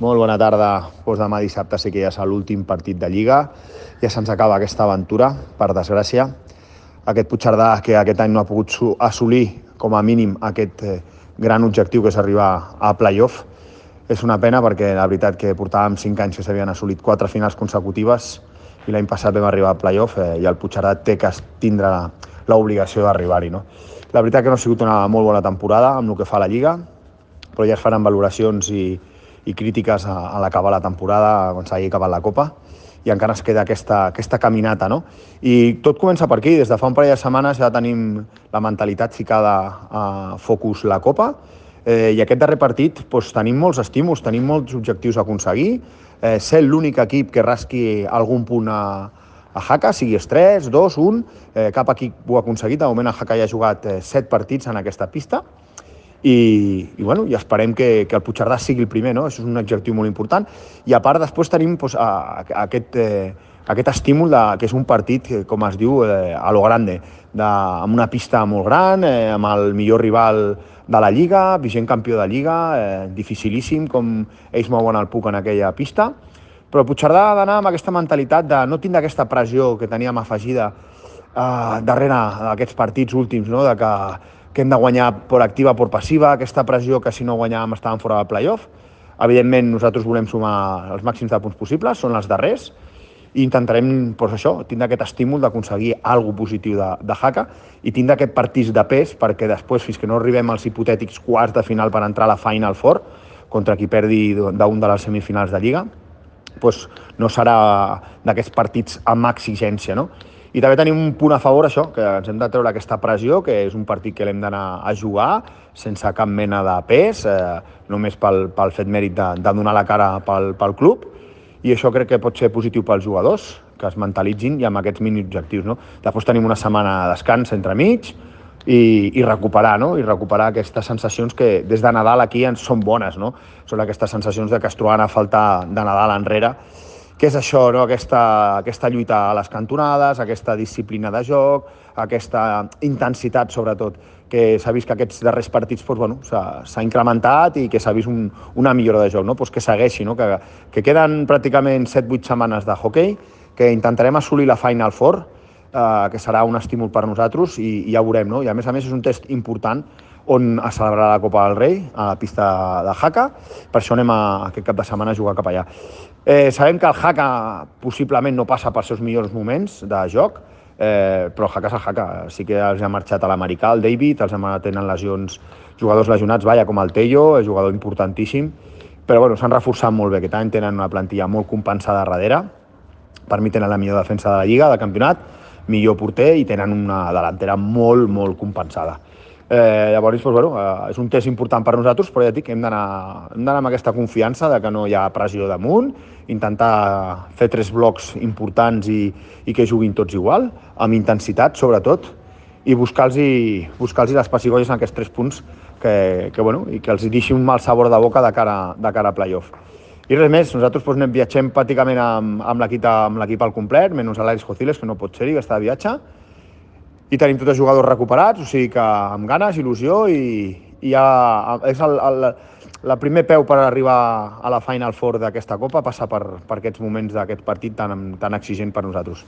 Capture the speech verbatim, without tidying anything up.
Molt bona tarda. Doncs demà dissabte sí que ja és l'últim partit de Lliga. Ja se'ns acaba aquesta aventura, per desgràcia. Aquest Puigcerdà que aquest any no ha pogut assolir, com a mínim, aquest eh, gran objectiu que és arribar a playoff. És una pena perquè la veritat que portàvem cinc anys que s'havien assolit quatre finals consecutives i l'any passat vam arribar a playoff eh, i el Puigcerdà té que tindre l'obligació d'arribar-hi. No? La veritat que no ha sigut una molt bona temporada amb el que fa la Lliga, però ja es faran valoracions i, i crítiques a, a l'acabar la temporada, quan s'hagi acabat la Copa, i encara es queda aquesta, aquesta caminata, no? I tot comença per aquí. Des de fa un parell de setmanes ja tenim la mentalitat ficada a focus la Copa, eh, i aquest darrer partit doncs, tenim molts estímuls, tenim molts objectius a aconseguir, eh, ser l'únic equip que rasqui algun punt a, a Jaca, sigui tres, dos, un, eh, cap equip ho ha aconseguit. De moment el Jaca ja ha jugat eh, set partits en aquesta pista, i, i, bueno, i esperem que, que el Puigcerdà sigui el primer, no? Això és un objectiu molt important. I a part després tenim doncs, a, a, aquest, eh, aquest estímul de, que és un partit, que, com es diu, eh, a lo grande, de, amb una pista molt gran, eh, amb el millor rival de la Lliga, vigent campió de Lliga, eh, dificilíssim com ells mouen el puck en aquella pista, però el Puigcerdà ha d'anar amb aquesta mentalitat de no tindre aquesta pressió que teníem afegida eh, darrere d'aquests partits últims, no? De que que hem de guanyar per activa, per passiva, aquesta pressió que si no guanyàvem estàvem fora del playoff. Evidentment, nosaltres volem sumar els màxims de punts possibles, són els darrers, i intentarem, doncs això, tindre aquest estímul d'aconseguir alguna positiu de, de Jaca i tindre aquest partit de pes perquè després, fins que no arribem als hipotètics quarts de final per entrar a la Final Four, contra qui perdi d'un de les semifinals de Lliga, doncs no serà d'aquests partits amb exigència, no? I també tenim un punt a favor, això, que ens hem de treure aquesta pressió, que és un partit que l'hem d'anar a jugar sense cap mena de pes, eh, només pel, pel fet mèrit de, de donar la cara pel, pel club, i això crec que pot ser positiu pels jugadors, que es mentalitzin i amb aquests mini objectius. No? Després tenim una setmana de descans entremig i, i recuperar, no? I recuperar aquestes sensacions que des de Nadal aquí ens són bones, no? Són aquestes sensacions de que es troben a faltar de Nadal enrere, que és això, no? aquesta, aquesta lluita a les cantonades, aquesta disciplina de joc, aquesta intensitat, sobretot, que s'ha vist que aquests darrers partits doncs, bueno, s'ha incrementat i que s'ha vist un, una millora de joc, no? Pues que segueixi, no? que, que queden pràcticament set vuit setmanes de hoquei, que intentarem assolir la Final Four, eh, que serà un estímul per nosaltres, i, i ja veurem. No? I a més a més és un test important on es celebrarà la Copa del Rei, a la pista de Jaca. Per això anem a, aquest cap de setmana a jugar cap allà. Eh, sabem que el Jaca possiblement no passa pels seus millors moments de joc, eh, però el Jaca és el Jaca. Sí que els ha marxat a l'americà, el David, els tenen lesions, jugadors lesionats, vaja, com el Tello, és jugador importantíssim, però bueno, s'han reforçat molt bé. Aquest any tenen una plantilla molt compensada darrere. Per mi tenen la millor defensa de la Lliga, del campionat, millor porter i tenen una delantera molt, molt compensada. Eh, llavors, doncs, bueno, eh, és un test important per nosaltres, però ja dic que hem d'anar amb aquesta confiança de que no hi ha pressió damunt, intentar fer tres blocs importants i, i que juguin tots igual, amb intensitat, sobretot, i buscar-los buscar les pessigolles en aquests tres punts que, que, bueno, i que els deixi un mal sabor de boca de cara, de cara a playoff. I res més, nosaltres doncs, anem viatgem pràcticament amb, amb l'equip al complet, menys l'Àlex Jociles, que no pot ser-hi, que està de viatge, i tenim tots els jugadors recuperats, o sigui que amb ganes, il·lusió, i, i ja és el, el, el primer peu per arribar a la Final Four d'aquesta Copa, passar per, per aquests moments d'aquest partit tan, tan exigent per nosaltres.